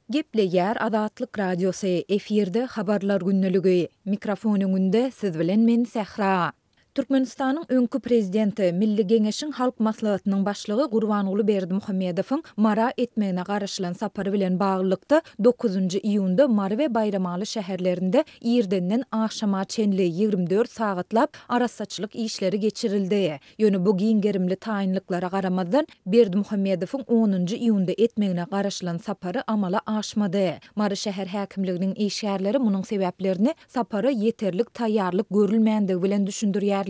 Gepleýär Azatlyk Radiosy, efirde Habarlar gündeligi. Mikrofon öňünde siz bilen men Sähra. Türkmenistanyň öňki prezidenti, Milli Geňeşiň Halk Maslahatynyň başlygy Gurbanguly Berdimuhamedowyň Mara etmegine garaşylan sapary bilen baglylykda, dokuzynjy iýunda Mary we Baýramaly şäherlerinde irdenden agşama çenli, 24 sagatlap arassaçylyk işleri geçirildi. Ýöne bu giň gerimli taýynlyklara garamazdan, Berdimuhamedowyň onunjy iýunda etmegine garaşylan sapary amala aşmady. Mary şäher häkimliginiň işgärleri munuň sebäplerini sapara ýeterlik taýýarlyk görülmändigi bilen düşündirýärler.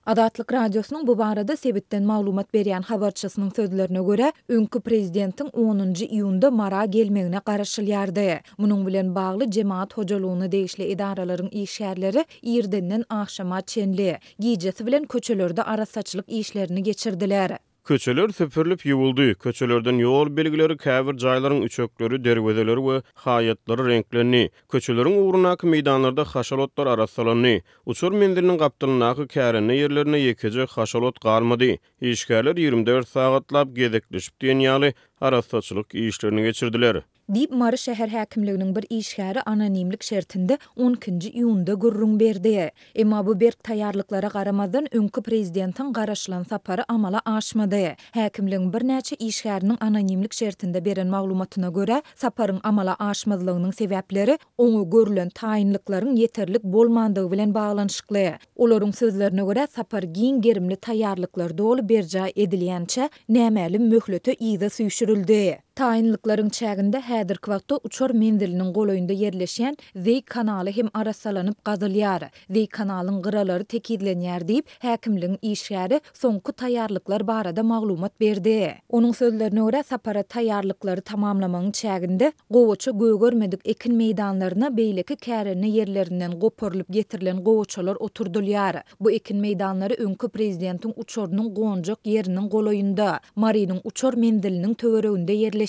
Azatlyk Radiosynyň bu barada sebitden maglumat berýän habarçysynyň sözlerine görä, öňki prezidentiň onunjy iýunda Mara gelmegine garaşylýardy. Munuň bilen bagly jemagat hojalygyna degişli edaralaryň işgärleri irdenden agşama çenli, Gijesi bilen köçelerde arassaçylyk işlerini geçirdiler. Köçeler süpürilip ýuwuldy, köçelerden ýol belgileri, käbir jaýlaryň üçekleri, derwezeleri we haýatlary reňklendi. Köçeleriň ugrundaky meýdanlarda haşal otlar arassalandy. Uçar menziliniň gapdalyndaky kärende ýerlerinde ýekeje haşal ot galmady. Işgärler 24 sagatlap gezekleşip diýen ýaly arassaçylyk işlerini geçirdiler. Diýip, Mary şäher häkimliginiň bir işgäri anonimlik şertinde on ikinji iýunda gürrüň berdi. Emma bu berk taýýarlyklara garamazdan, öňki prezidentiň garaşylan sapary amala aşmady. Häkimligiň birnäçe işgäriniň anonimlik şertinde beren maglumatyna görä, saparyň amala aşmazlygynyň sebäpleri oňa görlen taýynlyklaryň ýeterlik bolmandygy bilen baglanyşykly. Olaryň sözlerine görä, sapar giň gerimli taýýarlyklar doly berjaý edilýänçä, nämälim möhlete yza süýşürildi. Taýynlyklaryň çäginde häzirki wagtda uçar menziliniň golaýynda ýerleşýän Zeý kanaly hem arassalanyp gazylýar. Zeý kanalyň gyralary tekizlenýär diýip, häkimligiň işgäri soňky taýýarlyklar barada maglumat berdi. Onuň sözlerine görä, sapara taýýarlyklary tamamlamagyň çäginde gowaça gögermedik ekin meýdanlaryna beýleki kärende ýerlerinden goparylyp getirilen gowaçalar oturdylýar. Bu ekin meýdanlary öňki prezidentiň uçarynyň gonjak ýeriniň golaýynda, Marynyň uçar menziliniň töwereginde ýerleşýär.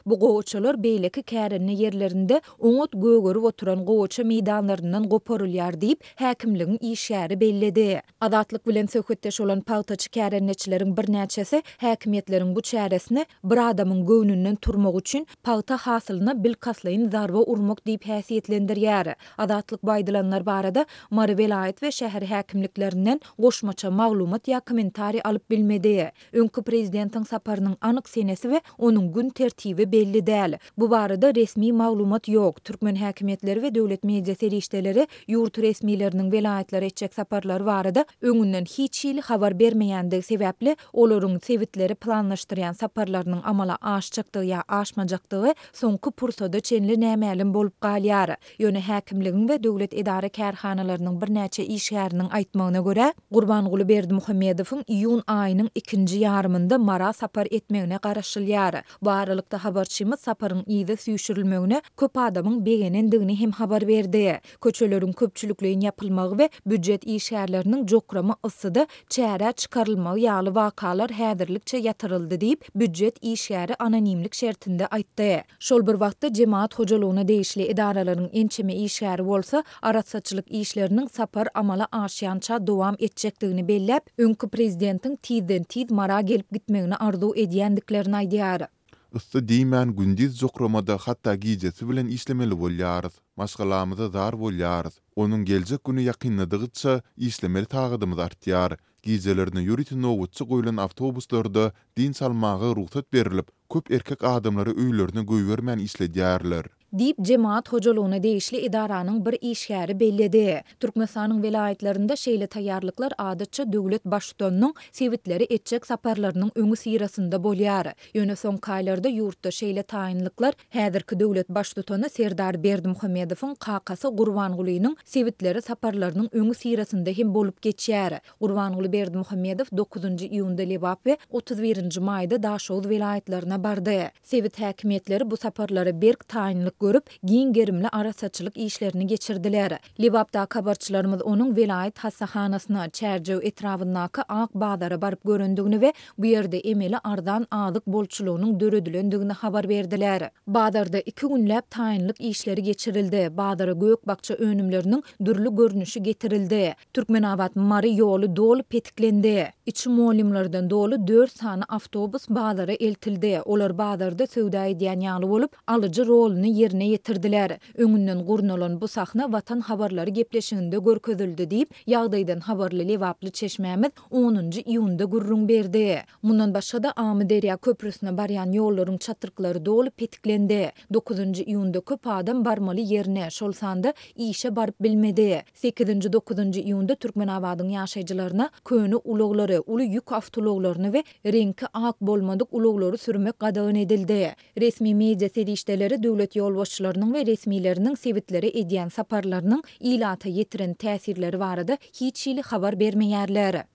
Bu gowaçalar beýleki kärende ýerlerinde oňat gögerip oturan gowaça meýdanlaryndan goparylýar diýip, häkimligiň işgäri belledi. Azatlyk bilen söhbetdeş bolan pagtaçy kärendeçileriň birnäçesi häkimiýetleriň bu çäresini bir adamyň göwnünden turmak üçin pagta hasylyna bilkastlaýyn zarba urmak diýip häsiýetlendirýär. Azatlyk bu aýdylanlar barada Mary welaýat we şäher häkimliklerinden goşmaça maglumat ýa kommentariý alyp bilmedi. Öňki prezidentiň saparynyň anyk senesi we onuň gün tertibi belli däl. Bu barada resmi maglumat ýok. Türkmen häkimiýetleri we döwlet media serişdeleri ýurt resmileriniň welaýatlara etjek saparlary barada öňünden hiç hili habar bermeýändigi sebäpli, olaryň sebitlere planlaşdyrýan saparlarynyň amala aşjakdygy ýa aşmajakdygy soňky pursada çenli nämälim bolup galýar. Ýöne häkimligiň we döwlet edara-kärhanalarynyň birnäçe işgäriniň aýtmagyna görä, Gurbanguly Berdimuhamedowyň iýun aýynyň ikinji ýarymynda Mara sapar etmegine garaşylýar. Bu aralykda habarçymyz saparyň yza süýşürilmegine köp adamyň begenendigini hem habar berdi. Köçeleriň köpçülikleýin ýapylmagy we býujet işgärleriniň jokrama yssyda çärä çykarylmagy ýaly wakalar häzirlikçe ýatyryldy diýip, býujet işgäri anonimlik şertinde aýtdy. Şol bir wagtda, jemagat hojalygyna degişli edaralaryň ençeme işgäri bolsa, arassaçylyk işleriniň sapar amala aşýança dowam etjekdigini belläp, öňki prezidentiň tizden-tiz Mara gelip gitmegini arzuw edýändiklerini aýdýar. Yssy diýmän gündiz jokramada hatda gijesi bilen işlemeli bolýarys. Maşgalamyza zar bolýarys. Onuň geljek güni ýakynladygyça işlemeli sagadymyz artýar. Gijelerine ýörite nobatçy goýlan awtobuslarda dynç almaga rugsat berlip, köp erkek adamlary öýlerine goýbermän işledýärler. Diýip, jemagat hojalygyna degişli edaranyň bir işgäri belledi. Türkmenistanyň welaýatlarynda şeýle taýýarlyklar adatça döwlet Baştutanynyň sebitlere etjek saparlarynyň öňüsyrasynda bolýar. Ýöne soňky aýlarda ýurtda şeýle taýynlyklar häzirki döwlet Baştutany Serdar Berdimuhamedowyň kakasy Gurbangulynyň sebitlere saparlarynyň öňüsyrasynda hem bolup geçýär. Gurbanguly Berdimuhamedow dokuzynjy iýunda Lebap we 31 nji maýda Daşoguz welaýatlaryna bardy. Sebit häkimiýetleri bu saparlara berk taýynlyk. taýýarlyk görüp, giň gerimli arassaçylyk işlerini geçirdiler. Lebapdaky habarçylarymyz onuň welaýat hassahanasyna, Çärjew etrabyndaky Ak bazara baryp görendigini we bu ýerde emeli arzan azyk bolçulygynyň döredilendigini habar berdiler. Bazarda iki günläp taýynlyk işleri geçirildi, bazara gök-bakja önümleriniň dürli görnüşi getirildi. Türkmenabat-Mary ýoly doly petiklendi. Içi mugallymlardan doly dört sany awtobus bazara eltildi. Olar bazarda söwda edýän ýaly bolup, alyjy roluny ýerine ýetirdiler. Öňünden gurnalan bu sahna Watan habarlary gepleşiginde görkezildi diýip, ýagdaýdan habarly lebaply çeşmämiz onunjy iýunda gürrüň berdi. Mundan başga-da, Amyderýa köprüsine barýan ýollaryň çatryklary doly petiklendi. Dokuzynjy iýunda köp adam barmaly ýerine, şol sanda işe baryp bilmedi. Sekizinji, dokuzynjy iýunda Türkmenabadyň ýaşaýjylaryna köne ulaglary, uly ýük awtoulaglaryny we reňki ak bolmadyk ulaglary sürmek gadagan edildi. Resmi media serişdeleri döwlet ýolbaşçylarynyň we resmileriniň sebitlere edýän saparlarynyň ilata ýetiren täsirleri barada hiç hili habar bermeýärler.